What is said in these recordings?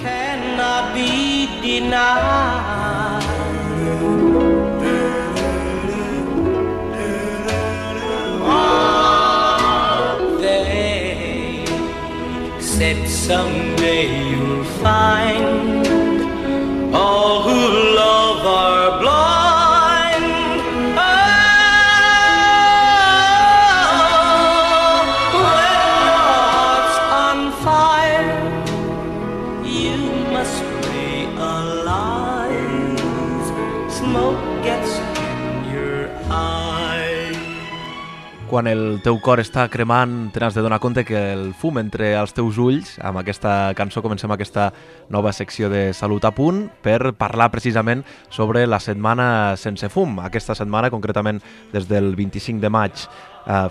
cannot be denied. They said someday you'll find all who love are blind. Oh, when your heart's on fire, you must realize smoke gets in your eyes. Quan el teu cor està cremant, t'has de donar compte que el fum entre els teus ulls. Amb aquesta cançó comencem aquesta nova secció de Salut a Punt per parlar precisament sobre la setmana sense fum. Aquesta setmana, concretament des del 25 de maig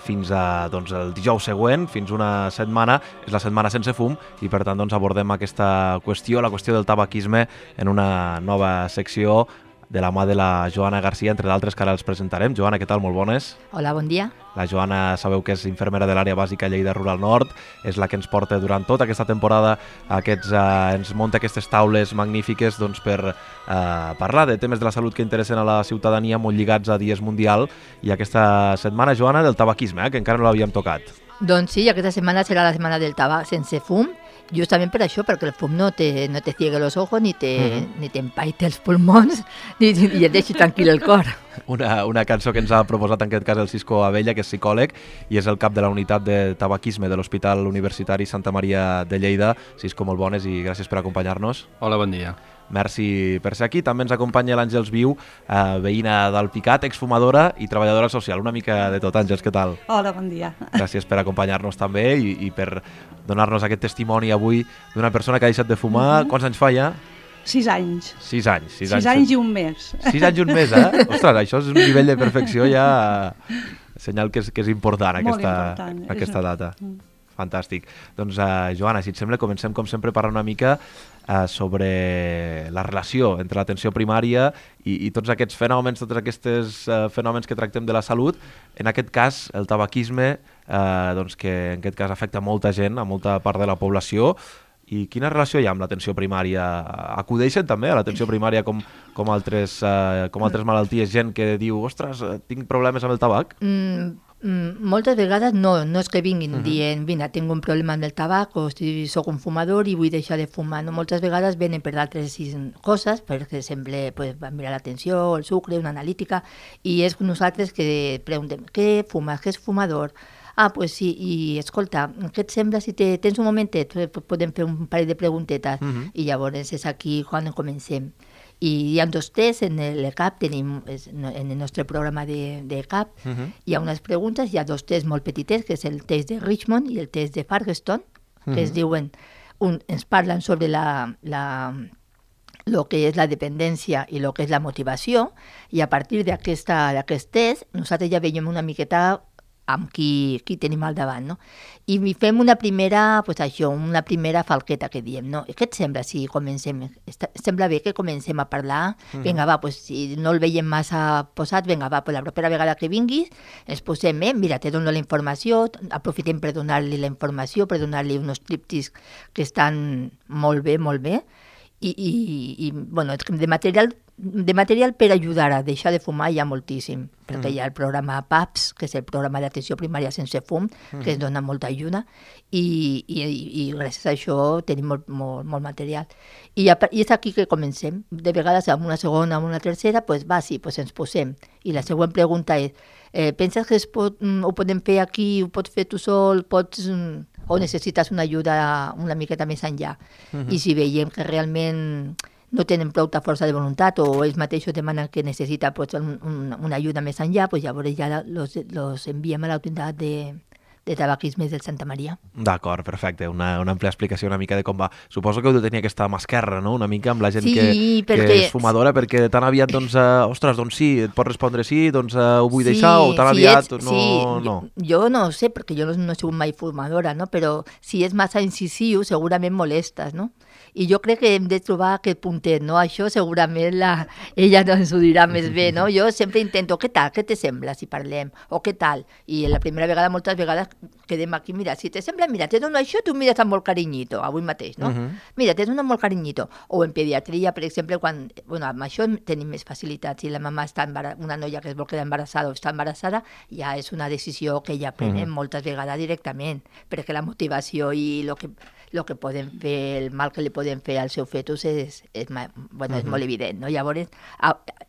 fins a el dijous següent, fins una setmana, és la setmana sense fum i per tant abordem aquesta qüestió, la qüestió del tabaquisme, en una nova secció de la mà de la Joana Garcia, entre d'altres que ara els presentarem. Joana, què tal? Molt bones. Hola, bon dia. La Joana sabeu que és infermera de l'àrea bàsica Lleida Rural Nord, és la que ens porta durant tota aquesta temporada, ens munta aquestes taules magnífiques per parlar de temes de la salut que interessen a la ciutadania, molt lligats a dies mundial, i aquesta setmana, Joana, del tabaquisme, que encara no l'havíem tocat. Doncs sí, aquesta setmana serà la setmana del tabac sense fum, justament per això, perquè el fum no te ciegue los ojos, ni t'empaite els pulmons, ni et deixi tranquil el cor. Una cançó que ens ha proposat en aquest cas el Cisco Abella, que és psicòleg i és el cap de la unitat de tabaquisme de l'Hospital Universitari Santa Maria de Lleida. Cisco, molt bones i gràcies per acompanyar-nos. Hola, bon dia. Merci per ser aquí. També ens acompanya l'Àngels Viu, veïna d'Alpicat, exfumadora i treballadora social. Una mica de tot. Àngels, què tal? Hola, bon dia. Gràcies per acompanyar-nos també i per donar-nos aquest testimoni avui d'una persona que ha deixat de fumar. Quants anys fa ja? 6 anys. 6 anys. 6 anys i un mes. 6 anys i un mes, eh? Ostres, això és un nivell de perfecció ja... Senyal que és important aquesta data. Fantàstic. Doncs, Joana, si et sembla, comencem com sempre parlant una mica sobre la relació entre l'atenció primària i tots aquests fenòmens, fenòmens que tractem de la salut. En aquest cas, el tabaquisme, que en aquest cas afecta molta gent, a molta part de la població. I quina relació hi ha amb l'atenció primària? Acudeixen també a l'atenció primària com altres malalties, gent que diu, ostres, tinc problemes amb el tabac? Moltes vegades no és que vinguin dient, vine, tinc un problema amb el tabac o soc un fumador i vull deixar de fumar. No? Moltes vegades venen per altres coses, per exemple, van mirar l'atenció, el sucre, una analítica, i és nosaltres que preguntem, què fumes, què és fumador? Pues sí, i escolta, què et sembla si tens un momentet? Podem fer un parell de preguntetes i llavors és aquí quan comencem. I hi ha 2 tests en l'ECAP, tenim en el nostre programa d'ECAP, hi ha unes preguntes, hi ha 2 tests molt petitets, que és el test de Richmond i el test de Ferguson, que es diuen, ens parlen sobre lo que és la dependència i lo que és la motivació, i a partir d'aquest test nosaltres ja veiem una miqueta amb qui tenim al davant, no? I fem una primera falqueta que diem, no? Què et sembla si comencem? Sembla bé que comencem a parlar? Vinga, va, si no el veiem massa posat, vinga, va, la propera vegada que vinguis, ens posem, mira, te dono la informació, aprofitem per donar-li la informació, per donar-li uns tríptics que estan molt bé, i bueno, de material per ajudar a deixar de fumar hi ha moltíssim, perquè hi ha el programa PAPS, que és el programa d'atenció primària sense fum, que es dona molta ajuda, i gràcies a això tenim molt material. I és aquí que comencem. De vegades, amb una segona, amb una tercera, ens posem. I la següent pregunta és, penses que ho podem fer aquí, ho pots fer tu sol, o necessites una ajuda una miqueta més enllà? I si veiem que realment no tenen prou força de voluntat o ells mateixos demanen que necessita una ajuda més enllà, llavors ja los enviem a la unitat de tabaquisme del Santa Maria. D'acord, perfecte. Una àmplia explicació una mica de com va. Suposo que heu de tenir aquesta mà esquerra, no?, una mica amb la gent que és fumadora, perquè tan aviat, ostres, sí, et pot respondre sí, ho vull deixar, o tan aviat no. Jo no ho sé, perquè jo no he sigut mai fumadora, no?, però si és massa incisiu, segurament molestes, no? I jo crec que hem de trobar aquest puntet, no? Això segurament ella ens ho dirà més bé, no? Jo sempre intento, què tal, què te sembla si parlem? O què tal? I la primera vegada, moltes vegades, quedem aquí, mira, si te sembla, mira, te dono això, tu mires amb molt carinyito, avui mateix, no? Mira, te dono amb molt carinyito. O en pediatria, per exemple, quan, bueno, amb això tenim més facilitats. Si la mama està una noia que es vol quedar embarassada o està embarassada, ja és una decisió que ja prenen moltes vegades directament, perquè la motivació i el que poden fer, el mal que li poden fer al seu fetus és molt evident, no? Llavors,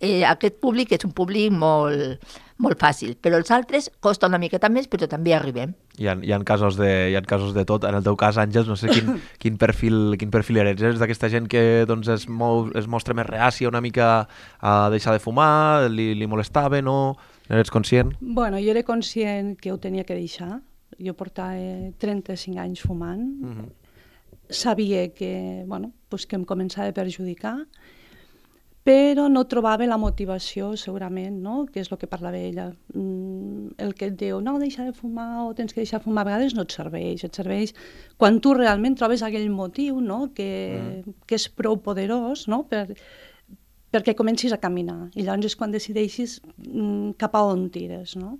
aquest públic és un públic molt fàcil, però els altres costa una miqueta més, però també arribem. Hi ha casos de tot. En el teu cas, Àngels, no sé quin perfil eres. Eres d'aquesta gent que doncs, es mostra més reàcia una mica a deixar de fumar, li molestava, no? Eres conscient? Bueno, jo era conscient que ho tenia que deixar. Jo portava 35 anys fumant. Sabia que, que em començava a perjudicar, però no trobava la motivació, segurament, no? Que és el que parlava ella. El que et diu, no, deixa de fumar o tens que deixar de fumar, a vegades no et serveix quan tu realment trobes aquell motiu, no? Que és prou poderós, no? Perquè comencis a caminar, i llavors és quan decideixis cap a on tires, no?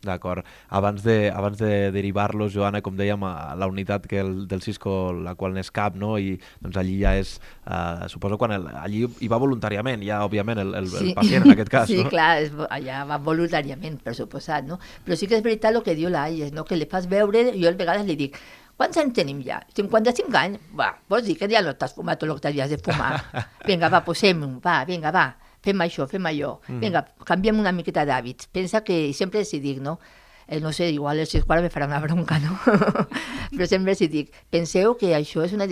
D'acord. Abans de derivar-los, Joana, com dèiem, a la unitat del Cisco, la qual n'és cap, no? I doncs allí ja és, suposo, quan allí hi va voluntàriament, ja, òbviament, el pacient, en aquest cas, sí, no? Sí, clar, allà va voluntàriament, per suposat, no? Però sí que és veritat el que diu l'Àngels, no? Que li fas veure, jo a vegades li dic, quants anys tenim ja? 55 anys? Va, vols dir que ja no t'has fumat tot el que t'havies de fumar? Vinga, va, posem-ho, vinga, va. Fem això, fem allò. Vinga, canviem una miqueta d'hàbits. Pensa que sempre els dic, no? No sé, igual els Cisco ara me farà una bronca, no? Però sempre els dic, penseu que això és una...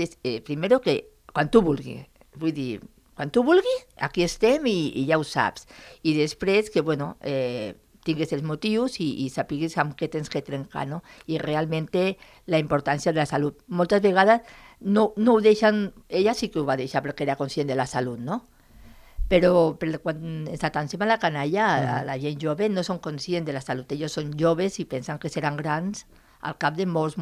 Primero que quan tu vulguis, vull dir, quan tu vulguis, aquí estem i ja ho saps. I després que, bueno, tingues els motius i sapiguis amb què tens que trencar, no? I realment la importància de la salut. Moltes vegades no ho deixen... Ella sí que ho va deixar perquè era conscient de la salut, no? Però quan s'atancem a la canalla, a la gent jove no són conscients de la salut. Ells són joves i pensen que seran grans al cap de molts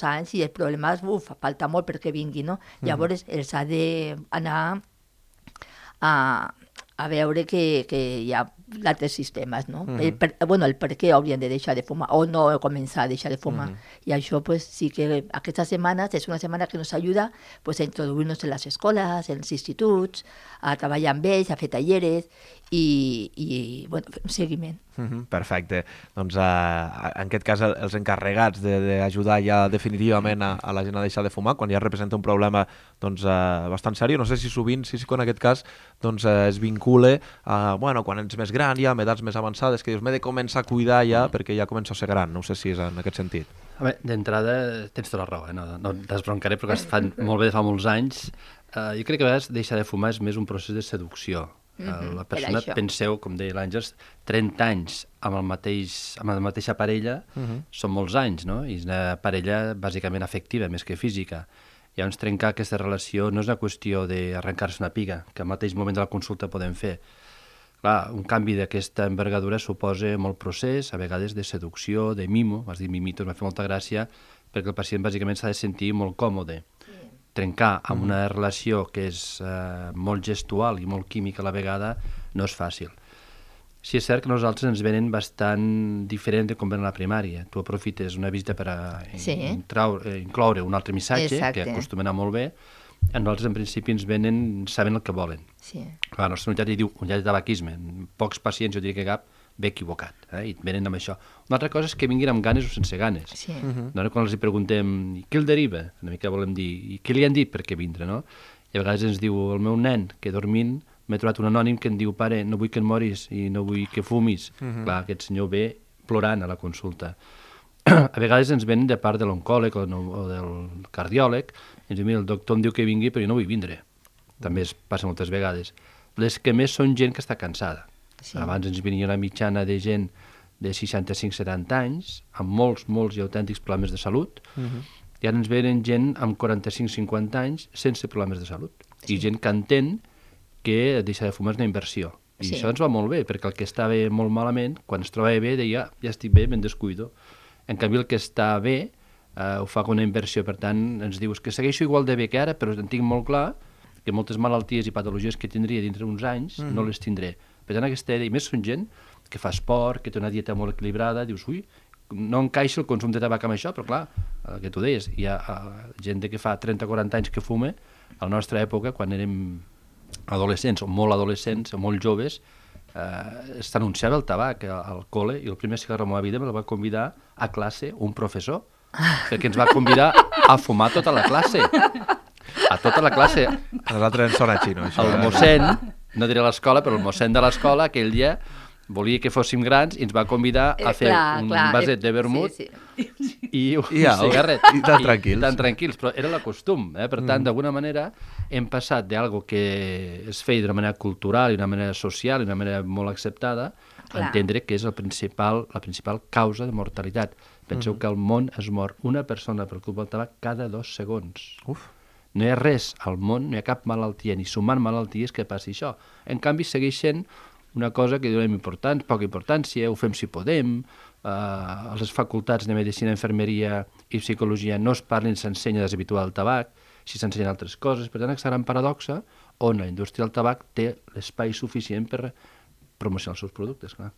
anys i el problema és, falta molt perquè vingui, no? Llavors els ha d'anar a veure que hi ha altres sistemes, no? El per què haurien de deixar de fumar o no començar a deixar de fumar. I això pues, sí que aquestes setmanes és una setmana que ens ajuda pues, a introduir-nos en les escoles, en els instituts, a treballar amb ells, a fer talleres i bueno, fer un seguiment. Perfecte. Doncs en aquest cas els encarregats d'ajudar ja definitivament a la gent a deixar de fumar, quan ja representa un problema doncs, bastant seriós, no sé si sovint, sí que en aquest cas doncs, es vincula a, bueno, quan ets més gran ja, amb edats més avançades, que dius, m'he de començar a cuidar ja perquè ja començo a ser gran, no sé si és en aquest sentit. D'entrada tens tota la raó, no t'esbroncaré perquè es fan molt bé de fa molts anys. Jo crec que a vegades deixar de fumar és més un procés de seducció. La persona, penseu, com deia l'Àngels, 30 anys amb la mateixa parella són molts anys, no? I és una parella bàsicament afectiva, més que física. Llavors, trencar aquesta relació no és una qüestió d'arrencar-se una piga, que al mateix moment de la consulta podem fer. Clar, un canvi d'aquesta envergadura suposa molt procés, a vegades de seducció, de mimo, vas dir mimito, m'ha fet molta gràcia, perquè el pacient bàsicament s'ha de sentir molt còmode. Trencar amb una relació que és molt gestual i molt química a la vegada no és fàcil. Sí, és cert que nosaltres ens venen bastant diferent de com ven a la primària. Tu aprofites una visita per incloure un altre missatge, que acostuma a anar molt bé. A nosaltres, en principi, ens venen, saben el que volen. La nostra unitat hi diu unitat de tabaquisme. Pocs pacients, jo diria que cap, ve equivocat, i et venen amb això. Una altra cosa és que vinguin amb ganes o sense ganes. Quan els preguntem què el deriva, una mica volem dir, i què li han dit per què vindre, no? I a vegades ens diu el meu nen, que dormint m'he trobat un anònim que em diu, pare, no vull que et moris i no vull que fumis. Clar, aquest senyor ve plorant a la consulta. A vegades ens venen de part de l'oncòleg o del cardiòleg, ens diu, mira, el doctor em diu que vingui, però jo no vull vindre. També es passa moltes vegades. Les que més són gent que està cansada. Abans ens venia una mitjana de gent de 65-70 anys, amb molts i autèntics problemes de salut, i ara ens venen gent amb 45-50 anys sense problemes de salut. I gent que entén que deixar de fumar és una inversió. I això ens va molt bé, perquè el que estava molt malament, quan es trobava bé, deia, ja estic bé, me'n descuido. En canvi, el que està bé ho fa com una inversió. Per tant, ens dius que segueixo igual de bé que ara, però en tinc molt clar que moltes malalties i patologies que tindria dintre d'uns anys no les tindré. Per tant, aquesta idea, i més són gent que fa esport, que té una dieta molt equilibrada, dius, ui, no encaixa el consum de tabac amb això, però clar, el que tu deies, hi ha gent que fa 30-40 anys que fume, a la nostra època, quan érem adolescents, o molt adolescents, o molt joves, s'anunciava el tabac al col·le, i el primer cigarro de la meva vida me va convidar a classe un professor, perquè ens va convidar a fumar tota la classe. A tota la classe. A nosaltres ens sona xino, això. El mossèn, no diré l'escola, però el mossèn de l'escola aquell dia volia que fóssim grans i ens va convidar a fer un vaset de vermut i un cigarret. I tan tranquils. Tan tranquils, però era la costum. Per tant, d'alguna manera, hem passat d'algo que es feia d'una manera cultural i d'una manera social i d'una manera molt acceptada a entendre que és la principal causa de mortalitat. Penseu que al món es mor una persona per culpa del tabac cada 2 segons. Uf. No hi ha res al món, no hi ha cap malaltia, ni sumant malalties que passi això. En canvi, segueix sent una cosa que donem poca importància, ho fem si podem, a les facultats de Medicina, Infermeria i Psicologia no es parla ni s'ensenya deshabituar el tabac, si s'ensenyen altres coses. Per tant, aquesta gran paradoxa on la indústria del tabac té l'espai suficient per promocionar els seus productes, clar.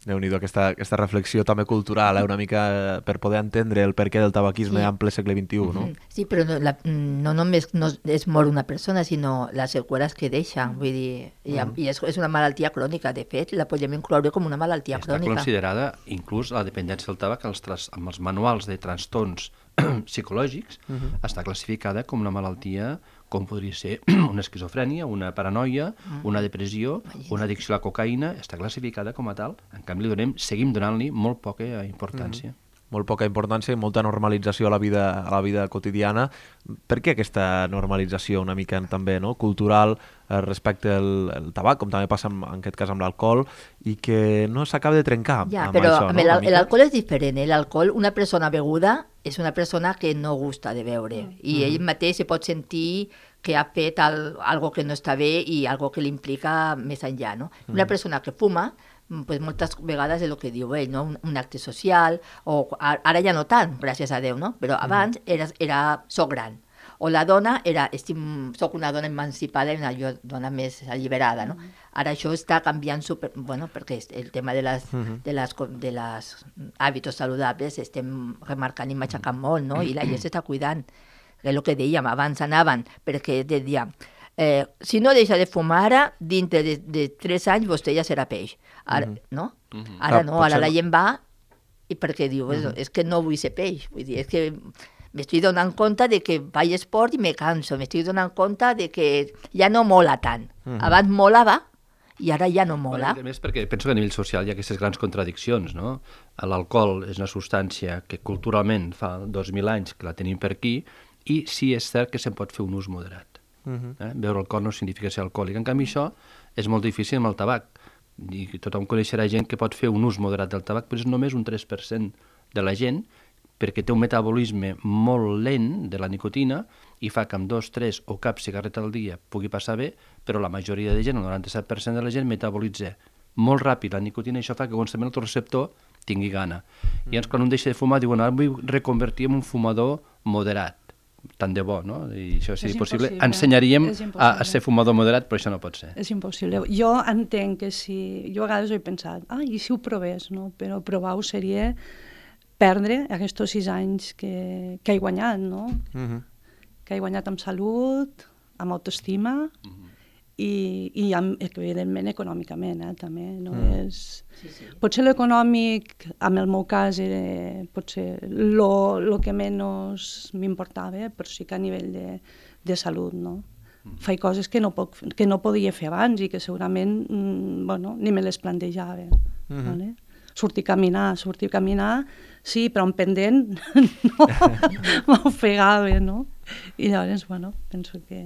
Déu-n'hi-do, aquesta reflexió també cultural, una mica per poder entendre el perquè del tabaquisme en ple segle XXI, no? Sí, però no només no es mor una persona, sinó les seqüeles que deixa. Vull dir, i és una malaltia crònica. De fet, la podem incloure com una malaltia crònica. Està considerada, inclús la dependència del tabac, amb els manuals de trastorns psicològics, està classificada com una malaltia com podria ser una esquizofrènia, una paranoia, una depressió, una addicció a la cocaïna, està classificada com a tal. En canvi, seguim donant-li molt poca importància. Molt poca importància i molta normalització a la vida quotidiana. Per què aquesta normalització una mica també cultural respecte al tabac, com també passa en aquest cas amb l'alcohol, i que no s'acaba de trencar amb però això? Però l'alcohol és diferent. L'alcohol, una persona beguda és una persona que no gusta de beure i ell mateix se pot sentir que ha fet algo que no està bé i algo que l'implica més enllà. No? Una persona que fuma, pues moltes vegades és el que diu ell, no? Un acte social, o ara ja no tant, gràcies a Déu, no? Però abans soc gran. O la dona soc una dona emancipada i una dona més alliberada, no? Ara això està canviant perquè el tema de les hàbits saludables estem remarcant i matxacant molt, no? I la gent s'està cuidant. És el que dèiem, abans anaven, perquè deia, si no deixa de fumar ara, dintre de 3 anys vostè ja serà peix. Ara, no? Ara no, ara la gent va i perquè diu, és que no vull ser peix. Vull dir, és que m'estic donant compte de que faig esport i me canso, m'estic donant compte de que ja no mola tant. Abans molava i ara ja no mola. A més, perquè penso que a nivell social hi ha aquestes grans contradiccions, no? L'alcohol és una substància que culturalment fa 2.000 anys que la tenim per aquí i sí és cert que se'n pot fer un ús moderat. Beure alcohol no significa ser alcohòlic. En canvi, això és molt difícil amb el tabac. I tothom coneixerà gent que pot fer un ús moderat del tabac, però és només un 3% de la gent, perquè té un metabolisme molt lent de la nicotina i fa que amb 2, 3 o cap cigarreta al dia pugui passar bé, però la majoria de gent, el 97% de la gent, metabolitza molt ràpid la nicotina i això fa que constantment el receptor tingui gana. I llavors, quan un deixa de fumar, diuen, ara vull reconvertir en un fumador moderat. Tant de bo, no? I això, si és possible, ensenyaríem a ser fumador moderat, però això no pot ser. És impossible. Jo entenc que si... Jo a vegades ho he pensat, i si ho provés, no? Però provar-ho seria perdre aquests 6 anys que he guanyat, no? Que he guanyat amb salut, amb autoestima i evidentment econòmicament, també. No és... Potser l'econòmic, en el meu cas, era potser el que menys m'importava, però sí que a nivell de salut, no? Faig coses que no podia fer abans i que segurament ni me les plantejava. Sortir a caminar, sí, però en pendent no, m'ofegava, no? I llavors, penso que...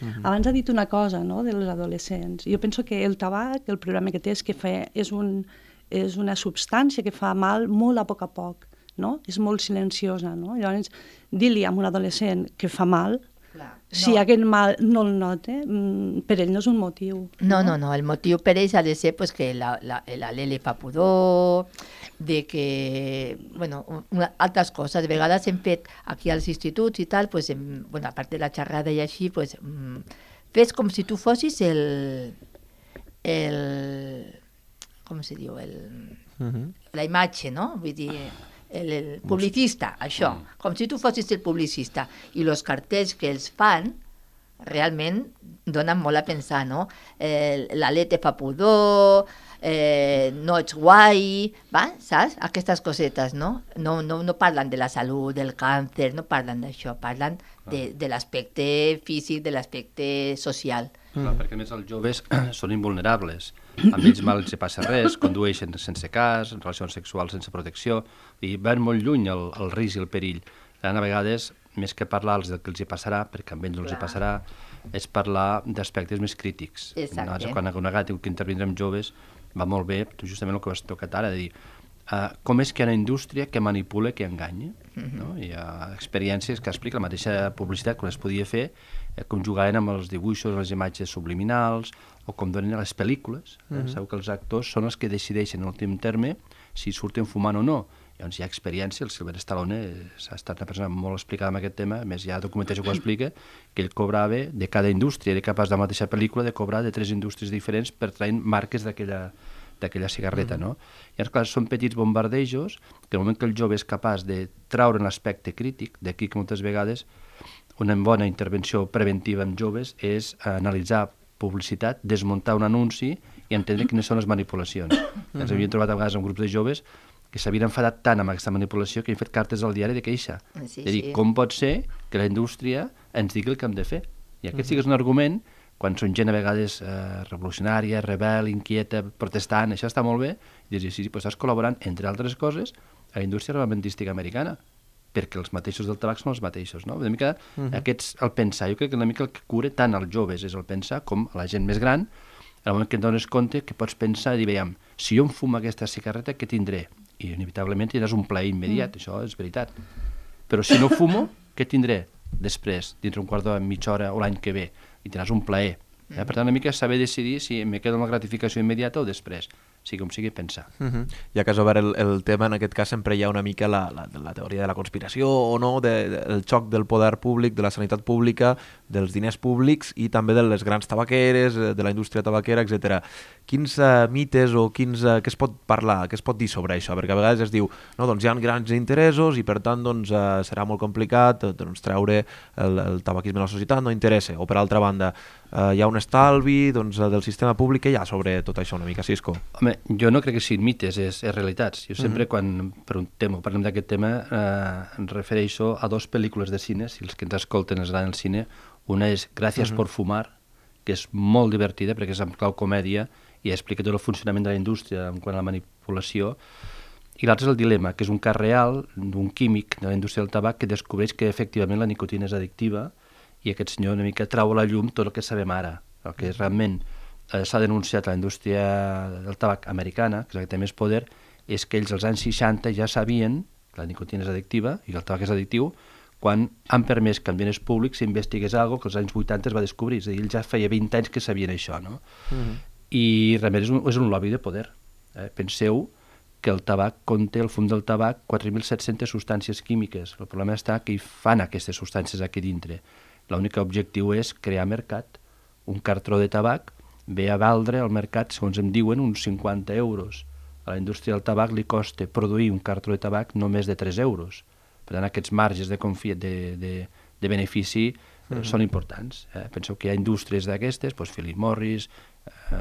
Abans ha dit una cosa, no?, dels adolescents. Jo penso que el tabac, el problema que té és que és una substància que fa mal molt a poc, no? És molt silenciosa, no? Llavors, dir-li a un adolescent que fa mal, si aquest mal no el nota, per ell no és un motiu. No, el motiu per ells ha de ser que l'alè fa pudor, de que, altres coses. De vegades hem fet aquí als instituts i tal, a part de la xerrada i així, fes com si tu fossis com se diu? la imatge, no? Vull dir, el publicista, això, com si tu fossis el publicista. I els cartells que els fan realment donen molt a pensar, no? L'alè te fa pudor, no ets guai, va? Saps? Aquestes cosetes, no? No parlen de la salut, del càncer, no parlen d'això, parlen de l'aspecte físic, de l'aspecte social. Clar, perquè a més els joves són invulnerables. Amb ells mal els passa res, condueixen sense cas, relacions sexuals sense protecció, i van molt lluny el risc i el perill. A vegades, més que parlar-los del que els hi passarà, perquè amb ells no els hi passarà, és parlar d'aspectes més crítics. Exacte. Quan una gata diu que intervindre amb joves, va molt bé, justament el que has tocat ara, de dir com és que hi ha una indústria que manipula, que enganya. No? Hi ha experiències que explica la mateixa publicitat quan es podia fer, com jugaven amb els dibuixos, les imatges subliminals, o com donen a les pel·lícules. Sabeu que els actors són els que decideixen en l'últim terme si surten fumant o no. Llavors hi ha experiència, el Sylvester Stallone ha estat una persona molt explicada en aquest tema, a més hi ha documentació que ho explica, que ell cobrava de cada indústria, era capaç de la mateixa pel·lícula de cobrar de 3 indústries diferents per traient marques d'aquella cigarreta, no? I clar, són petits bombardejos que el moment que el jove és capaç de traure l'aspecte crític, d'aquí que moltes vegades una bona intervenció preventiva amb joves és analitzar publicitat, desmuntar un anunci i entendre quines són les manipulacions. Ens havíem trobat a vegades amb grups de joves que s'havien enfadat tant amb aquesta manipulació que han fet cartes al diari de queixa. De dir, com pot ser que la indústria ens digui el que hem de fer? I aquest sí que és un argument, quan són gent a vegades revolucionària, rebel, inquieta, protestant, això està molt bé, i dius, sí, però estàs col·laborant, entre altres coses, a la indústria armamentística americana, perquè els mateixos del tabac són els mateixos, no? Una mica aquests, el pensar, jo crec que una mica el que cura tant als joves és el pensar com a la gent més gran, al moment que et dones compte que pots pensar i dir, veiem, si jo em fumo aquesta cigarreta, què tindré? I inevitablement tindràs un plaer immediat, això és veritat. Però si no fumo, què tindré després, dintre un quart d'hora, mitja hora o l'any que ve? I tindràs un plaer. Per tant, una mica saber decidir si me quedo amb la gratificació immediata o després. sigui com sigui, pensar. Ja que has obert el tema, en aquest cas sempre hi ha una mica la teoria de la conspiració o no, del xoc del poder públic, de la sanitat pública, dels diners públics i també de les grans tabaqueres, de la indústria tabaquera, etc. Quins mites o què es pot parlar, què es pot dir sobre això? Perquè a vegades es diu, no, doncs hi ha grans interessos i per tant doncs, serà molt complicat treure el tabaquisme a la societat, no interessa. O per altra banda, hi ha un estalvi del sistema públic. Què hi ha sobre tot això una mica, Cisco? Home, jo no crec que siguin mites, és realitats. Jo sempre quan parlem d'aquest tema em refereixo a dues pel·lícules de cine, si els que ens escolten es van al cine. Una és Gràcies por fumar, que és molt divertida perquè és en clau comèdia i explica tot el funcionament de la indústria en quant a la manipulació. I l'altre és El dilema, que és un cas real d'un químic de la indústria del tabac que descobreix que efectivament la nicotina és addictiva i aquest senyor una mica trau a la llum tot el que sabem ara, el que realment s'ha denunciat a la indústria del tabac americana, que és la que té més poder, és que ells als anys 60 ja sabien que la nicotina és addictiva i que el tabac és addictiu quan han permès que en diners públics s'investigués alguna cosa que als anys 80 es va descobrir. És a dir, ells ja feia 20 anys que sabien això, no? I realment és un lobby de poder. Penseu que el tabac conté, el fum del tabac, 4.700 substàncies químiques. El problema està que hi fan aquestes substàncies aquí dintre. L'únic objectiu és crear mercat. Un cartró de tabac ve a valdre al mercat, segons em diuen, uns 50 euros. A la indústria del tabac li costa produir un cartró de tabac no més de 3 euros. Per tant, aquests marges de benefici són importants. Penseu que hi ha indústries d'aquestes, Philip Morris,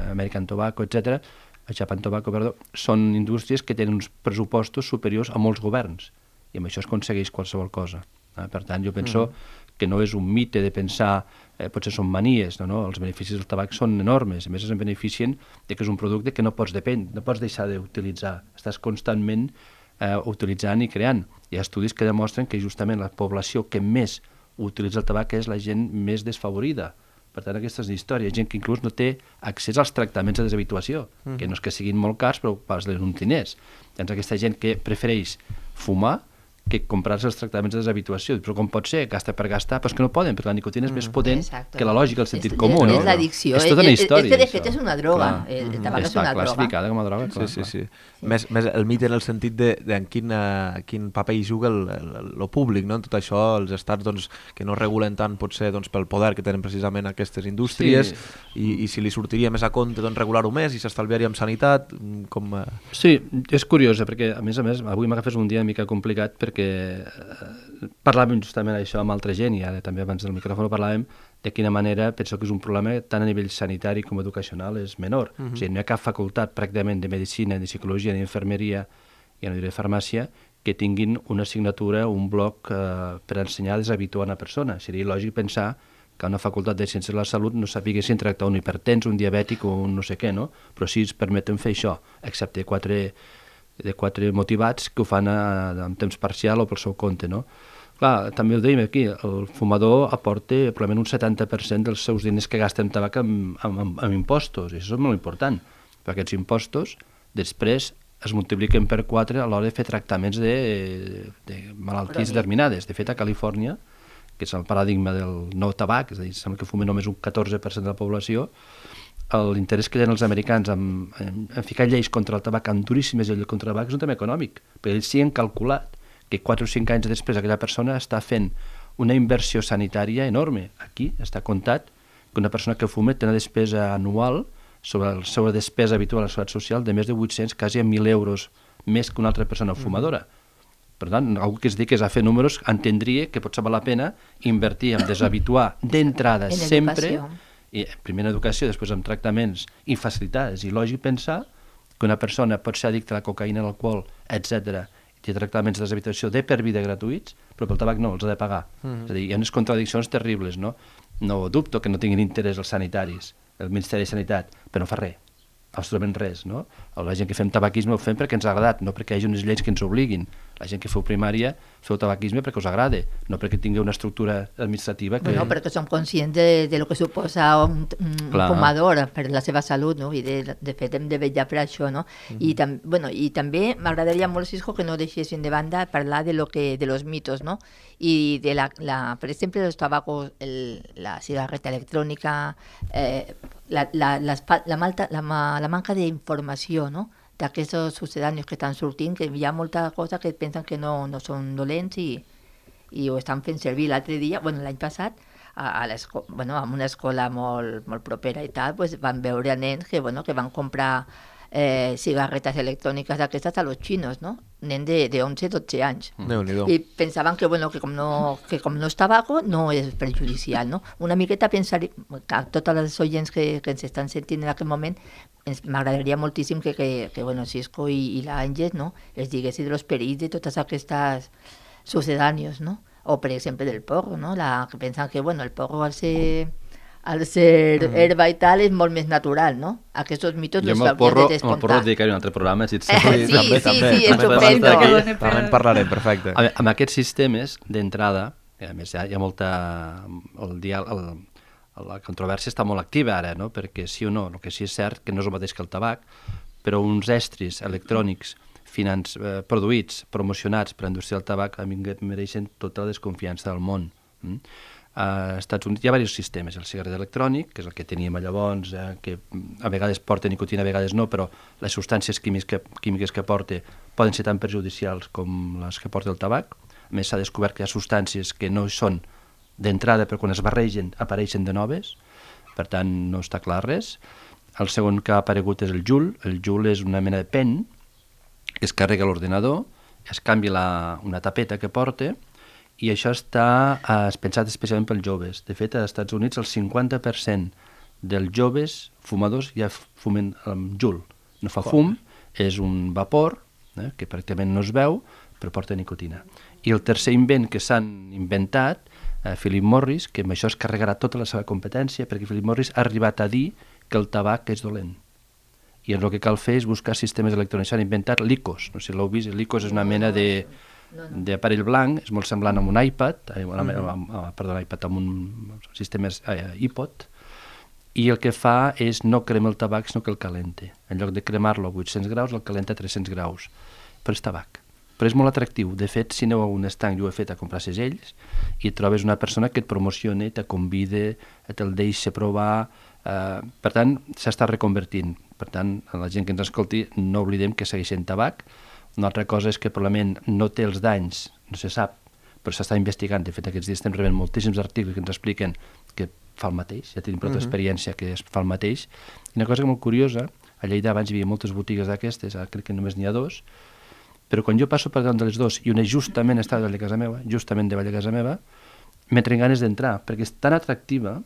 American Tobacco, etc., Japan Tobacco, perdó, són indústries que tenen uns pressupostos superiors a molts governs i amb això es aconsegueix qualsevol cosa. Per tant, jo penso que no és un mite de pensar, potser són manies, no? Els beneficis del tabac són enormes, a més es beneficien que és un producte que no pots deixar d'utilitzar, estàs constantment utilitzant i creant. Hi ha estudis que demostren que justament la població que més utilitza el tabac és la gent més desfavorida. Per tant, aquesta és la història. Gent que inclús no té accés als tractaments de deshabituació, que no és que siguin molt cars, però pas uns diners. Doncs aquesta gent que prefereix fumar que comprar-se els tractaments de deshabituació. Però com pot ser? Gasta per gastar, però és que no poden, perquè la nicotina és més potent que la lògica, el sentit comú, no? És l'addicció. És tota una història. És que de fet és una droga. El tabac és una droga. Està classificada com a droga. Sí. Més el mite en el sentit de en quin paper hi juga el públic, no? En tot això, els estats doncs, que no regulen tant potser doncs, pel poder que tenen precisament aquestes indústries i si li sortiria més a compte doncs, regular-ho més i s'estalviaria amb sanitat com... Sí, és curiós, perquè a més, avui m'agafes un dia una mica complicat perquè parlàvem justament això amb altra gent i ara també abans del micròfon parlàvem de quina manera penso que és un problema tant a nivell sanitari com educacional és menor. O sigui, no hi ha cap facultat pràcticament de medicina, de psicologia, d'infermeria, ja no diré farmàcia, que tinguin una assignatura, un bloc per ensenyar a deshabituar una persona. Seria lògic pensar que una facultat de Ciències de la Salut no sàpiga si tractar un hipertens, un diabètic o un no sé què, no? Però sí es permeten fer això, excepte quatre motivats que ho fan en temps parcial o pel seu compte, no? Clar, també ho dèiem aquí, el fumador aporta probablement un 70% dels seus diners que gasta en tabac amb impostos, i això és molt important, perquè aquests impostos després es multipliquen per 4 a l'hora de fer tractaments de malalties determinades. De fet, a Califòrnia, que és el paradigma del no tabac, és a dir, sembla que fumen només un 14% de la població, l'interès que tenen els americans en ficar lleis contra el tabac, amb duríssimes lleis contra el tabac, és un tema econòmic, perquè ells sí han calculat que 4 o 5 anys després aquella persona està fent una inversió sanitària enorme. Aquí està comptat que una persona que fuma té una despesa anual sobre la seva despesa habitual a la seguretat social de més de 800, quasi 1.000 euros més que una altra persona fumadora. Per tant, algú que es digui que és a fer números entendria que potser val la pena invertir en deshabituar d'entrada sempre, i primer en educació, després en tractaments i facilitats. I lògic pensar que una persona pot ser addicta a la cocaïna, a l'alcohol, etc. i té tractaments de deshabituació de per vida gratuïts, però pel tabac no, els ha de pagar. És a dir, hi ha unes contradiccions terribles, no? No dubto que no tinguin interès els sanitaris, el Ministeri de Sanitat, però no fa res, absolutament res, no? La gent que fem tabaquisme ho fem perquè ens ha agradat, no perquè hi hagi unes lleis que ens obliguin. La gent que feu primària feu tabaquisme perquè us agrada, no perquè tingui una estructura administrativa que... Bueno, perquè som conscients de lo que suposa un fumador per la seva salut, no? I de fet hem de vetllar per això, no? I també m'agradaria molt, Cisco, que no deixessin de banda parlar de los mitos, no? Y de por ejemplo, los tabacos, la cigarreta electrónica, la manca d'informació, no? D'aquests sucedanis que estan sortint, que hi ha molta cosa que pensen que no són dolents i ho estan fent servir. L'altre dia, l'any passat, en una escola molt propera i tal, pues, van veure nens que van comprar cigarretes electròniques d'aquestes a los chinos, no? Nen de 11-12 anys. I pensaven que com no és tabaco no és perjudicial, no? Una miqueta pensar, que totes les oients que ens estan sentint en aquest moment, m'agradaria moltíssim que Cisco i l'Àngels, no? Els diguessin dels perills de totes aquestes sucedànios, no? O, per exemple, del porro, no? Que pensen que, el porro al ser herba i tal és molt més natural, no? Aquests mitos els hauríem de descomptar. Amb el porro dedicaré un altre programa, si et sembla. Sí, estupendo. També en parlarem, perfecte. Amb aquests sistemes, d'entrada, a més hi ha molta... La controvèrsia està molt activa ara, no? Perquè sí o no, el que sí és cert que no és el mateix que el tabac, però uns estris electrònics produïts, promocionats per la indústria del tabac, a mi em mereixen tota la desconfiança del món. Als Estats Units hi ha diversos sistemes. El cigarret electrònic, que és el que teníem llavors, que a vegades porta nicotina, a vegades no, però les substàncies químiques que porta poden ser tan perjudicials com les que porta el tabac. A més, s'ha descobert que hi ha substàncies que no són d'entrada, però quan es barregen apareixen de noves, per tant no està clar res. El segon que ha aparegut és el Juul. El Juul és una mena de pen que es carrega a l'ordenador, es canvia una tapeta que porta, i això està pensat especialment pels joves. De fet, als Estats Units el 50% dels joves fumadors ja fumen amb Juul. No fa fum, és un vapor que pràcticament no es veu, però porta nicotina. I el tercer invent que s'han inventat, Philip Morris, que amb això es carregarà tota la seva competència, perquè Philip Morris ha arribat a dir que el tabac és dolent. I el que cal fer és buscar sistemes electrònics. S'han inventat l'IQOS, no sé si l'heu vist, l'IQOS és una mena d'aparell blanc, és molt semblant a un iPad, amb un sistema iPod, i el que fa és no crema el tabac, sinó que el calenta. En lloc de cremar-lo a 800 graus, el calenta a 300 graus. Però és tabac. però és molt atractiu. De fet, si aneu a un estanc, jo ho he fet a comprar segells, i trobes una persona que et promociona, te convida, te'l deixa provar. Per tant, s'està reconvertint. Per tant, a la gent que ens escolti, no oblidem que segueix sent tabac. Una altra cosa és que probablement no té els danys, no se sap, però s'està investigant. De fet, aquests dies estem rebent moltíssims articles que ens expliquen que fa el mateix, ja tenim prou experiència que es fa el mateix. I una cosa molt curiosa, a Lleida abans hi havia moltes botigues d'aquestes, ara crec que només n'hi ha 2, però quan jo passo per davant de les 2 i una justament està davant de casa meva, justament davant de casa meva, m'entren ganes d'entrar, perquè és tan atractiva,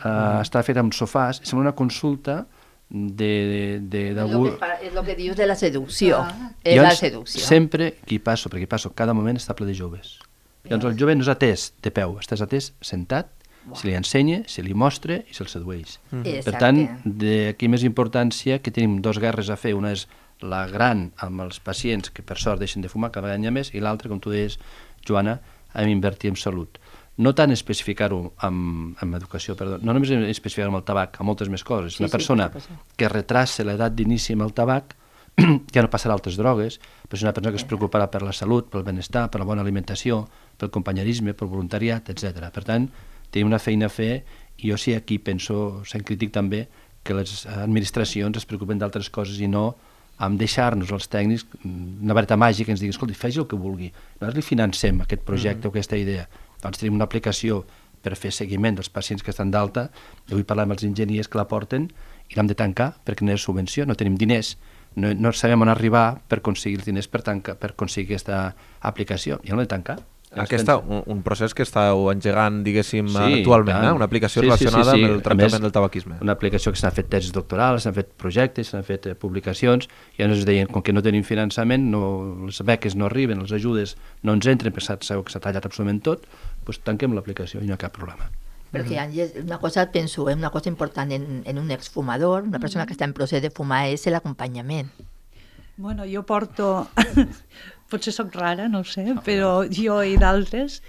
està feta amb sofàs, sembla una consulta d'algú... És el que dius de la seducció. És la seducció. Sempre que hi passo, perquè hi passo cada moment, està ple de joves. Llavors el jove no és atès de peu, estàs atès sentat, se li ensenya, se li mostra i se'l sedueix. Per tant, d'aquí més importància que tenim 2 guerres a fer. Una és la gran amb els pacients que per sort deixen de fumar, cada vegada n'hi ha més, i l'altra, com tu deies, Joana, hem d'invertir en salut. No tant especificar-ho en educació, perdó, no només especificar-ho amb el tabac, amb moltes més coses. Una persona que retrassa l'edat d'inici amb el tabac ja no passarà altres drogues, però és una persona que es preocuparà per la salut, pel benestar, per la bona alimentació, pel companyerisme, pel voluntariat, etc. Per tant, tenim una feina a fer, i jo sí aquí penso, sent crític també, que les administracions es preocupen d'altres coses i no amb deixar-nos els tècnics una vareta màgica que ens digui, escolti, faci el que vulgui. Nosaltres li financem aquest projecte o aquesta idea. Doncs tenim una aplicació per fer seguiment dels pacients que estan d'alta, i vull parlar amb els enginyers que la porten, i l'hem de tancar perquè no hi ha subvenció, no tenim diners, no sabem on arribar per aconseguir els diners per aconseguir aquesta aplicació, i l'hem de tancar. Un procés que estàu engegant, diguéssim, actualment, una aplicació relacionada amb el tractament del tabaquisme. Una aplicació que s'han fet tesis doctorals, s'han fet projectes, s'han fet publicacions, i ens deien, com que no tenim finançament, les beques no arriben, les ajudes no ens entren, perquè sabeu que s'ha tallat absolutament tot, doncs tanquem l'aplicació i no hi ha cap problema. Perquè, Àngels, una cosa, penso, una cosa important en un exfumador, una persona que està en procés de fumar, és l'acompanyament. Bueno, jo porto... Potser sóc rara, no ho sé, però jo i d'altres,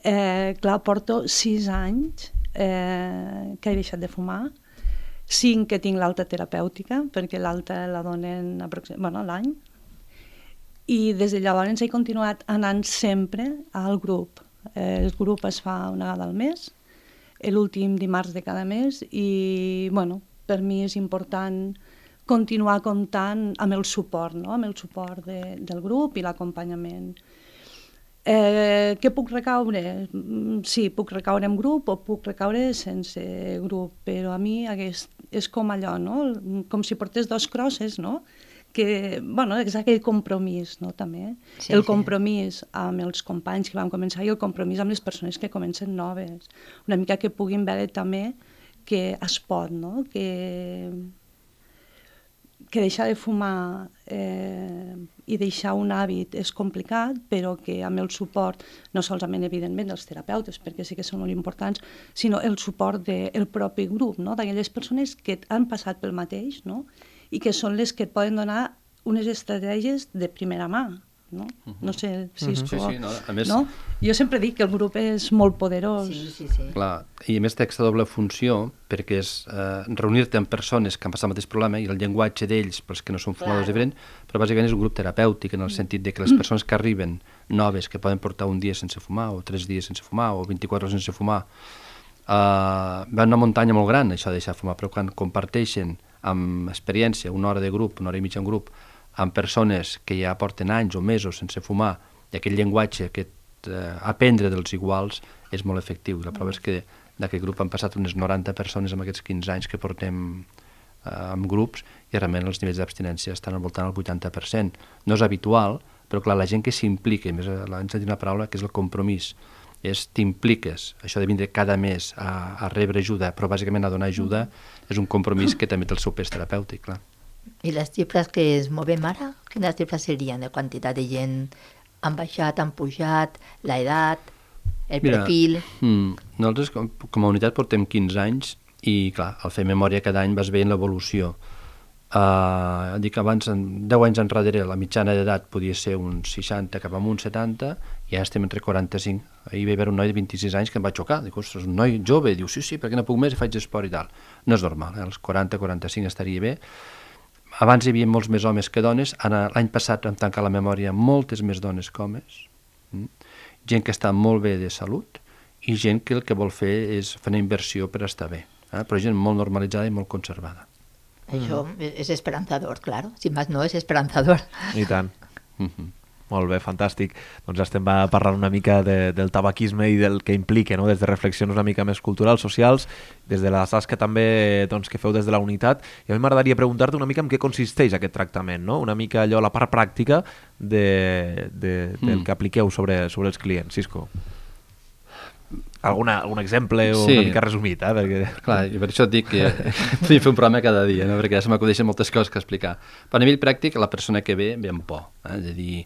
clar, porto 6 anys que he deixat de fumar, 5 que tinc l'alta terapèutica, perquè l'alta la donen l'any, i des de llavors he continuat anant sempre al grup. El grup es fa una vegada al mes, l'últim dimarts de cada mes, i per mi és important continuar comptant amb el suport, amb el suport del grup i l'acompanyament. Què puc recaure? Sí, puc recaure en grup o puc recaure sense grup, però a mi és com allò, com si portés 2 crosses, que és aquell compromís, també. El compromís amb els companys que vam començar i el compromís amb les persones que comencen noves. Una mica que puguin veure també que es pot, que deixar de fumar i deixar un hàbit és complicat, però que amb el suport, no solament evidentment dels terapeutes, perquè sí que són molt importants, sinó el suport del propi grup, d'aquelles persones que han passat pel mateix, i que són les que et poden donar unes estratègies de primera mà. No sé si és clar. A més, jo sempre dic que el grup és molt poderós. Sí. Clar, i a més té aquesta doble funció, perquè és reunir-te amb persones que han passat el mateix problema, i el llenguatge d'ells, pels que no són fumadors, diferent, però bàsicament és un grup terapèutic, en el sentit de que les persones que arriben noves, que poden portar un dia sense fumar, o 3 dies sense fumar, o 24 hores sense fumar, va una muntanya molt gran, això de deixar fumar, però quan comparteixen amb experiència, 1 hora de grup, 1 hora i mitja en grup, amb persones que ja porten anys o mesos sense fumar, i aquell llenguatge, aprendre dels iguals, és molt efectiu. La prova és que d'aquest grup han passat unes 90 persones en aquests 15 anys que portem en grups, i realment els nivells d'abstinència estan al voltant del 80%. No és habitual, però clar, la gent que s'implica, més ens ha dit una paraula que és el compromís, t'impliques, això de vindre cada mes a rebre ajuda, però bàsicament a donar ajuda, és un compromís que també té el seu pes terapèutic, clar. I les xifres que es movem ara, quines xifres serien de quantitat de gent han baixat, han pujat, l'edat, el perfil? Nosaltres com a unitat portem 15 anys i clar, al fer memòria cada any vas veient l'evolució. Dic abans, 10 anys enrere, la mitjana d'edat podia ser uns 60 cap amunt 70, i ara estem entre 45. Ahir va haver un noi de 26 anys que em va xocar. Dic, ostres, un noi jove, diu, sí, perquè no puc més i faig esport i tal. No és normal, als 40-45 estaria bé. abans hi havia molts més homes que dones, l'any passat vam tancar la memòria moltes més dones que homes, gent que està molt bé de salut i gent que el que vol fer és fer una inversió per estar bé, però gent molt normalitzada i molt conservada. Això és esperanzador, claro. Si més no, és esperanzador. I tant. Molt bé, fantàstic. Doncs estem parlant una mica del tabaquisme i del que implica, no? Des de reflexions una mica més culturals, socials, des de la tasca també que feu des de la unitat. I a mi m'agradaria preguntar-te una mica en què consisteix aquest tractament, no? Una mica allò, la part pràctica del que apliqueu sobre els clients. Cisco. Algun exemple o una mica resumit, perquè... Clar, i per això et dic que podria fer un programa cada dia, no? Perquè ja se m'acudeixen moltes coses que explicar. Però a nivell pràctic, la persona que ve amb por, de dir,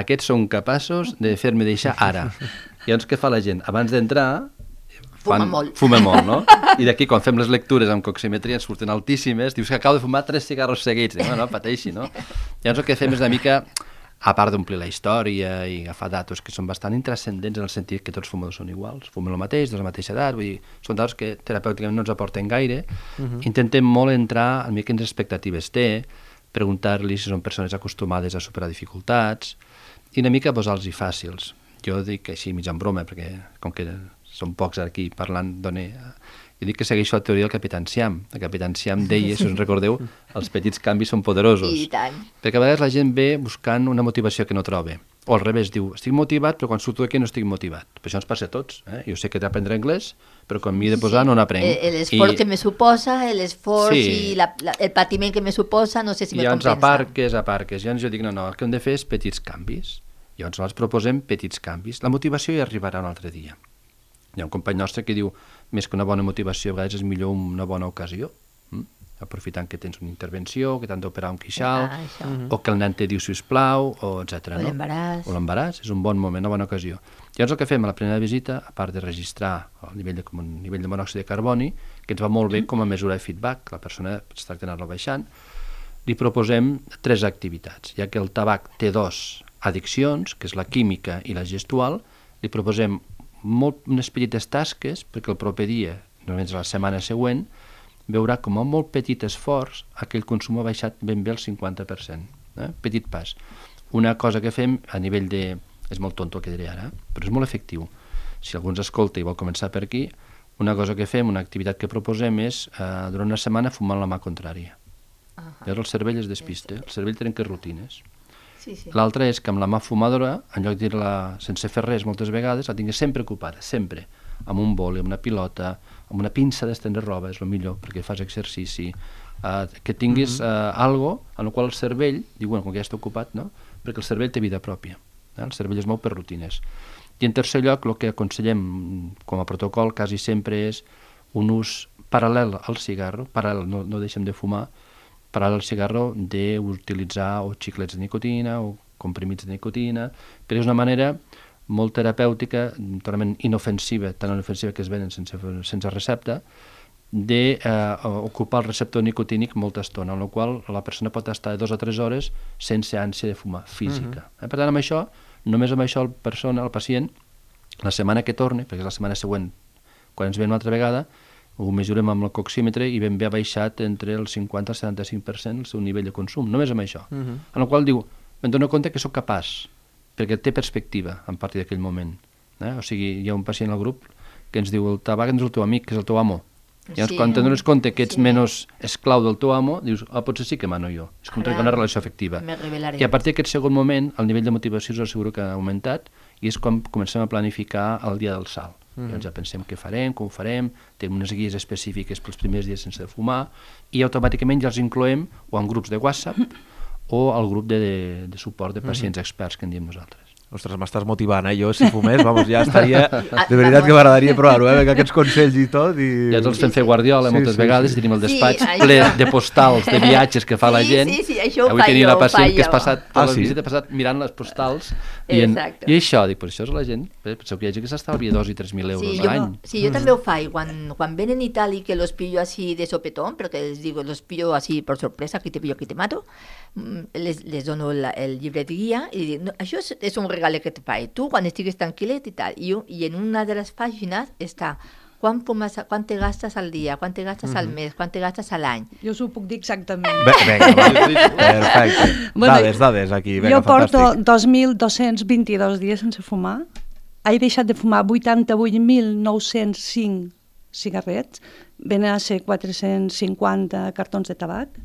aquests són capaços de fer-me deixar ara. I llavors què fa la gent? Abans d'entrar... Fuma molt, no? I d'aquí, quan fem les lectures amb coximetria, ens surten altíssimes, dius que acabo de fumar 3 cigarros seguits. No, pateixi, no? Llavors el que fem és una mica... A part d'omplir la història i agafar datos que són bastant intrascendents en el sentit que tots fumadors són iguals, fumen el mateix, de la mateixa edat, vull dir, són datos que terapèuticament no ens aporten gaire. Intentem molt entrar en quines expectatives té, preguntar-li si són persones acostumades a superar dificultats i una mica posar-los-hi fàcils. Jo dic així mig en broma, perquè com que són pocs aquí parlant, jo dic que segueixo la teoria del Capità Enciam. El Capità Enciam deia, si us en recordeu, els petits canvis són poderosos. I tant. Perquè a vegades la gent ve buscant una motivació que no troba. O al revés, diu, estic motivat, però quan surto d'aquí no estic motivat. Per això ens passa a tots. Jo sé que he d'aprendre anglès, però quan m'hi he de posar no n'aprenc. L'esforç que me suposa, l'esforç i el patiment que me suposa, no sé si me compensa. Llavors aparques. Llavors jo dic, no, el que hem de fer és petits canvis. Llavors nosaltres proposem petits canvis. La motivació hi arribarà un altre dia. Hi ha un company nostre que diu, més que una bona motivació, a vegades és millor una bona ocasió, aprofitant que tens una intervenció, que t'han d'operar un queixal, o que el nen te diu sisplau, etc. O l'embaràs. O l'embaràs, és un bon moment, una bona ocasió. Llavors el que fem a la primera visita, a part de registrar el nivell de monòxid de carboni, que ens va molt bé com a mesura de feedback, la persona es tracta d'anar-lo baixant, li proposem 3 activitats. Ja que el tabac té 2 addiccions, que és la química i la gestual, li proposem unes petites tasques perquè el proper dia, normalment la setmana següent, veurà com a molt petit esforç aquell consum ha baixat ben bé el 50%. Petit pas. Una cosa que fem a nivell de... És molt tonto el que diré ara, però és molt efectiu. Si algú ens escolta i vol començar per aquí, una cosa que fem, una activitat que proposem és durant una setmana fumar la mà contrària. Llavors el cervell es despista, el cervell trenca rutines. L'altra és que amb la mà fumadora, en lloc de dir-la sense fer res moltes vegades, la tinguis sempre ocupada, sempre, amb un boli, amb una pilota, amb una pinça d'estendre roba, és el millor, perquè fas exercici, que tinguis algo en el qual el cervell, diu, com que ja està ocupat, no? Perquè el cervell té vida pròpia, el cervell es mou per rutines. I en tercer lloc, el que aconsellem com a protocol quasi sempre és un ús paral·lel al cigarro, paral·lel, no deixem de fumar, paral·lel al cigarro d'utilitzar o xiclets de nicotina o comprimits de nicotina, però és una manera molt terapèutica, totalment inofensiva, tan inofensiva que es venen sense recepta, d'ocupar el receptor nicotínic molta estona, en la qual la persona pot estar 2 o 3 hores sense ànsia de fumar, física. Per tant, amb això, només amb això el pacient, la setmana que torni, perquè és la setmana següent, quan ens ve una altra vegada, ho mesurem amb el coxímetre i ben bé ha baixat entre el 50 i el 75% el seu nivell de consum, només amb això. En el qual diu, em dono compte que sóc capaç, perquè té perspectiva a partir d'aquell moment. O sigui, hi ha un pacient al grup que ens diu, el tabac és el teu amic, que és el teu amo. Llavors, quan te'n dones compte que ets menys esclau del teu amo, dius, potser sí que mano jo. És com trencar una relació afectiva. I a partir d'aquest segon moment, el nivell de motivació us asseguro que ha augmentat i és quan comencem a planificar el dia del salt. Llavors ja pensem què farem, com ho farem, tenim unes guies específiques pels primers dies sense fumar i automàticament ja els incloem o en grups de WhatsApp o al grup de suport de pacients experts que en diem nosaltres. Ostres, m'estàs motivant, Jo si fumés, ja estaria... De veritat que m'agradaria provar-ho, aquests consells i tot. Ja els fem fer Guardiola moltes vegades i tenim el despatx ple de postals, de viatges que fa la gent. Sí, això ho avui tenia una pacient que has passat per la visita, passat mirant les postals i això, dic, per això és la gent, penseu que hi ha gent que s'estalvia 2 i 3.000 euros a l'any. Sí, jo també ho faig, quan venen i tal i que los pillo así de sopetón, però que les digo, los pillo así por sorpresa, aquí te pillo, aquí te mato, les dono el llibre de guia i dic, això és un regal que et faig, tu quan estigues tranquil·let i tal, i en una de les pàgines està Quan te gastes al dia, quan te gastes al mes, quan te gastes a l'any. Jo us ho puc dir exactament. Vinga, perfecte. Dades aquí, vinga, fantàstic. Jo porto 2.222 dies sense fumar. He deixat de fumar 88.905 cigarrets, venen a ser 450 cartons de tabac,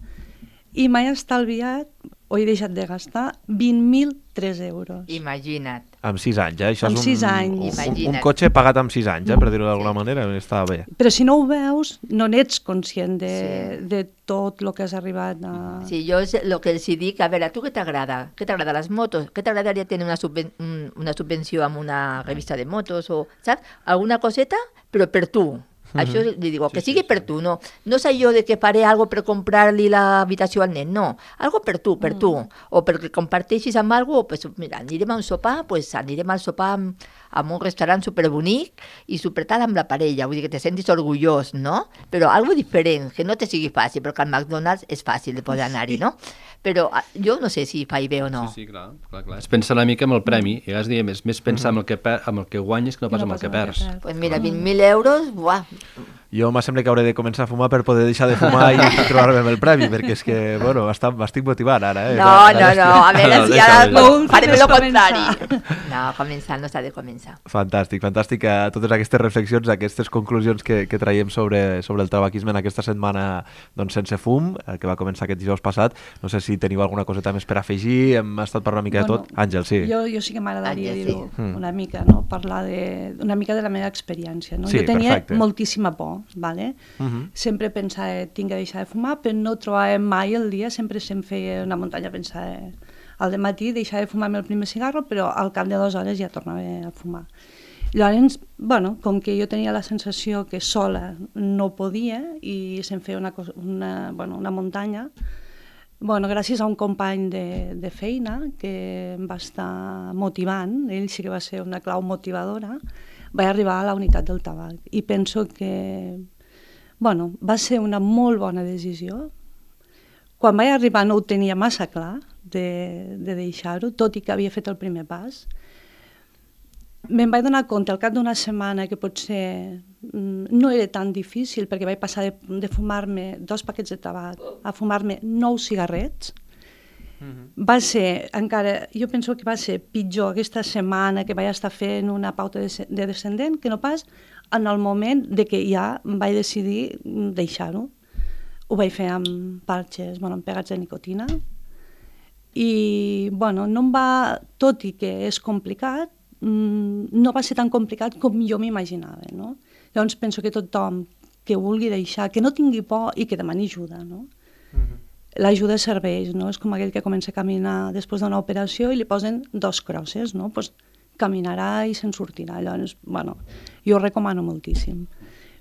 i m'he estalviat, o he deixat de gastar, 20.003 euros. Imagina't. Amb 6 anys, Això amb 6 anys. Un cotxe pagat amb 6 anys, per dir-ho d'alguna manera, està bé. Però si no ho veus, no n'ets conscient de tot el que has arribat a... Sí, jo és el que els dic, a veure, tu què t'agrada? Què t'agrada les motos? Què t'agradaria tenir una subvenció amb una revista de motos? O, saps? Alguna coseta, però per tu. Això li digo, que sigui per tu, no és allò de que faré algo per comprar-li l'habitació al nen, no, algo per tu, o perquè comparteixis amb algo, pues mira, anirem a un sopar, pues anirem al sopar amb un restaurant superbonic i supertal amb la parella, vull dir que te sentis orgullós, no? Però algo diferent, que no te sigui fàcil, perquè al McDonald's és fàcil de poder anar-hi, no? Però jo no sé si fa bé o no. Sí, clar. Es pensa una mica amb el premi, i has dit, més pensar amb el que guanyes que no pas amb el que perds. Pues mira, 20.000 euros, buah. Jo me sembla que hauré de començar a fumar per poder deixar de fumar i trobar-me amb el premi, perquè és que, bueno, m'estic motivant ara. No, a veure si ara farem el contrari. No, començar no s'ha de començar. Fantàstic. Totes aquestes reflexions, aquestes conclusions que traiem sobre el tabaquisme en aquesta setmana sense fum, que va començar aquest dijous passat. No sé si teniu alguna coseta més per afegir, hem estat parlant una mica de tot. Àngel, sí. Jo sí que m'agradaria dir-ho una mica, no? Parlar una mica de la meva experiència. Jo tenia moltíssima por. Vale? Sempre pensava, tinc que deixar de fumar, però no trobava mai el dia, sempre se'm feia una muntanya, pensava al dematí deixar de fumar-me el primer cigarro, però al cap de 2 hores ja tornava a fumar. Llavors, com que jo tenia la sensació que sola no podia i se'm feia una muntanya, gràcies a un company de feina que em va estar motivant, ell sí que va ser una clau motivadora, vaig arribar a la unitat del tabac i penso que va ser una molt bona decisió. Quan vaig arribar no ho tenia massa clar de deixar-ho, tot i que havia fet el primer pas. Me'n vaig donar compte al cap d'una setmana que potser no era tan difícil, perquè vaig passar de fumar-me 2 paquets de tabac a fumar-me 9 cigarrets. Va ser, encara, jo penso que va ser pitjor aquesta setmana que vaig estar fent una pauta de descendent que no pas en el moment de que ja vaig decidir deixar-ho. Ho vaig fer amb parxes, amb pegats de nicotina i, no em va, tot i que és complicat, no va ser tan complicat com jo m'imaginava, no? Llavors penso que tothom que vulgui deixar, que no tingui por i que demani ajuda, no? L'ajuda serveix, no? És com aquell que comença a caminar després d'una operació i li posen 2 crosses, no? Pues caminarà i se'n sortirà. Llavors, jo ho recomano moltíssim.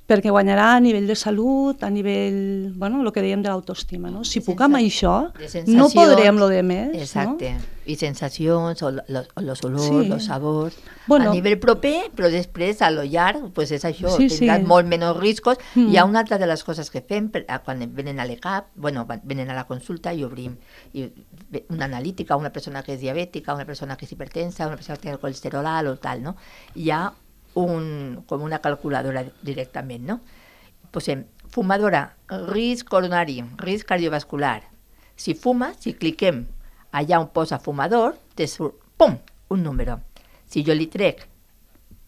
Perquè guanyarà a nivell de salut, a nivell, el que dèiem de l'autoestima, no? Si puc amb això, no podré amb lo de més, no? Exacte. I sensacions, o los olors, los sabors, a nivell proper, però després, a lo llarg, pues és això, tindràs molt menys riscos. Hi ha una altra de les coses que fem quan venen a l'ECAP, venen a la consulta i obrim una analítica, una persona que és diabètica, una persona que és hipertensa, una persona que té el colesterol alt o tal, no? Hi ha com una calculadora directament, no? Posem fumadora, risc coronari, risc cardiovascular. Si fuma, si cliquem allà on posa fumador, te surt, pum, un número. Si jo li trec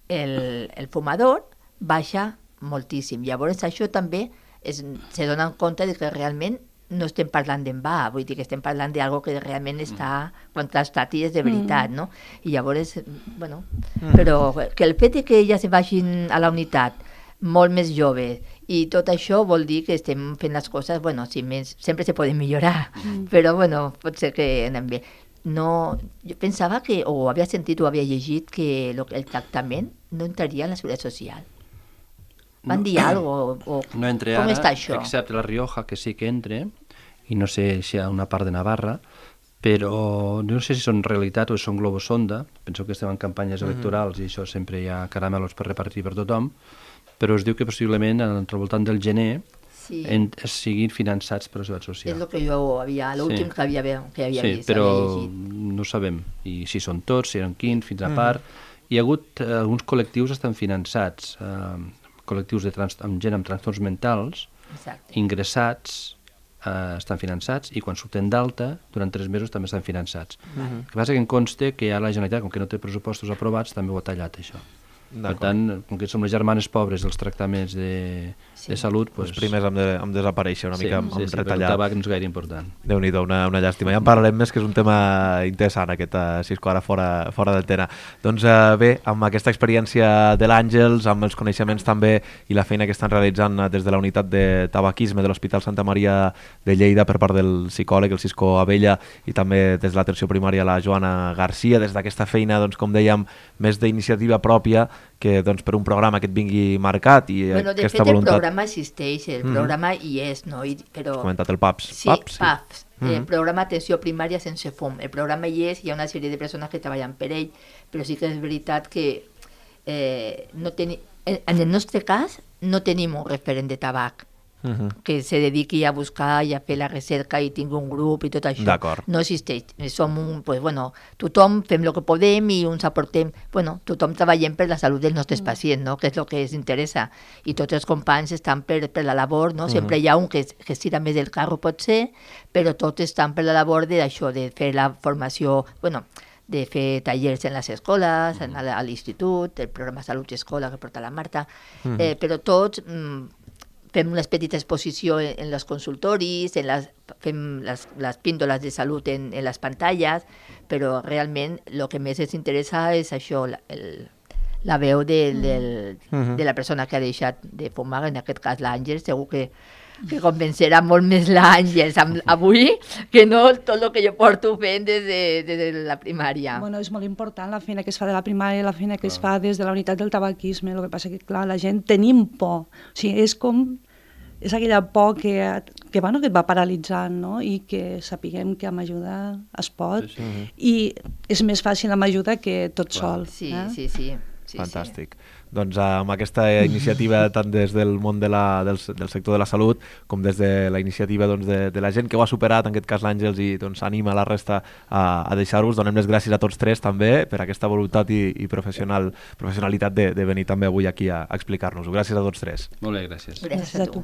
el fumador, baixa moltíssim. Llavors això també se donen compte de que realment no estem parlant d'en va, vull dir que estem parlant d'algo que realment està contrastat i és de veritat, no? I llavors, però que el fet que ja se vagin a la unitat molt més joves i tot això vol dir que estem fent les coses, sempre se poden millorar, però pot ser que anem bé. Jo pensava que, o havia sentit o havia llegit que el tractament no entraria en la seguretat social. Van dir alguna cosa? No entre com ara, està això? excepte la Rioja, que sí que entre, i no sé si hi ha una part de Navarra, però no sé si són realitat o són globosonda, penso que estem en campanyes electorals i això sempre hi ha caramelos per repartir per tothom, però es diu que possiblement al voltant del gener siguin finançats per la seguretat social. És el que jo havia, l'últim que havia vist. Sí, però no sabem i si són tots, si eren quins, fins a part. Hi ha hagut alguns col·lectius que estan finançats, col·lectius amb gent amb trastorns mentals, ingressats, estan finançats, i quan surten d'alta, durant 3 mesos també estan finançats. El que passa que em consta que ja la Generalitat, com que no té pressupostos aprovats, també ho ha tallat, això. Per tant, com que som les germanes pobres dels tractaments de salut... Els primers han desaparèixer una mica, han retallat. El tabac no és gaire important. Déu-n'hi-do, una llàstima. Ja en parlarem més, que és un tema interessant, aquest Cisco, ara fora d'antena. Doncs bé, amb aquesta experiència de l'Àngels, amb els coneixements també i la feina que estan realitzant des de la unitat de tabaquisme de l'Hospital Santa Maria de Lleida per part del psicòleg, el Cisco Abella, i també des de l'atenció primària la Joana Garcia, des d'aquesta feina, doncs, com dèiem, més d'iniciativa pròpia, que doncs, per un programa que et vingui marcat i aquesta voluntat... De fet, el programa existeix, el programa hi és, no? Però... Has comentat el PAPS. Sí, PAPS, el programa Atenció Primària Sense Fum. El programa hi és, hi ha una sèrie de persones que treballen per ell, però sí que és veritat que en el nostre cas no tenim un referent de tabac que se dediqui a buscar i a fer la recerca i tingui un grup i tot això. No existeix. Som tothom fem el que podem i uns aportem... tothom treballem per la salut dels nostres pacients, no? Que és el que ens interessa. I tots els companys estan per la labor, no? Sempre hi ha un que estira més el carro, potser, però tots estan per la labor d'això, de fer la formació... de fer tallers en les escoles, a l'institut, el programa Salut Escola que porta la Marta, però tots... fem una petita exposició en els consultoris, fem les píndoles de salut en les pantalles, però realment el que més ens interessa és això, la veu de la persona que ha deixat de fumar, en aquest cas l'Àngels. Segur que convencerà molt més l'Àngels avui que no tot el que jo porto fent des de la primària. És molt important la feina que es fa de la primària, la feina que es fa des de la unitat del tabaquisme. El que passa que, clar, la gent tenim por. O sigui, és aquella por que et va paralitzant, no? I que sapiguem que amb ajuda es pot. I és més fàcil amb ajuda que tot sol. Sí. Fantàstic. Doncs amb aquesta iniciativa tant des del món del sector de la salut com des de la iniciativa de la gent que ho ha superat, en aquest cas l'Àngels, i anima la resta a deixar-vos. Donem les gràcies a tots tres també per aquesta voluntat i professionalitat de venir també avui aquí a explicar-nos-ho. Gràcies a tots tres. Molt bé, gràcies. Gràcies a tu.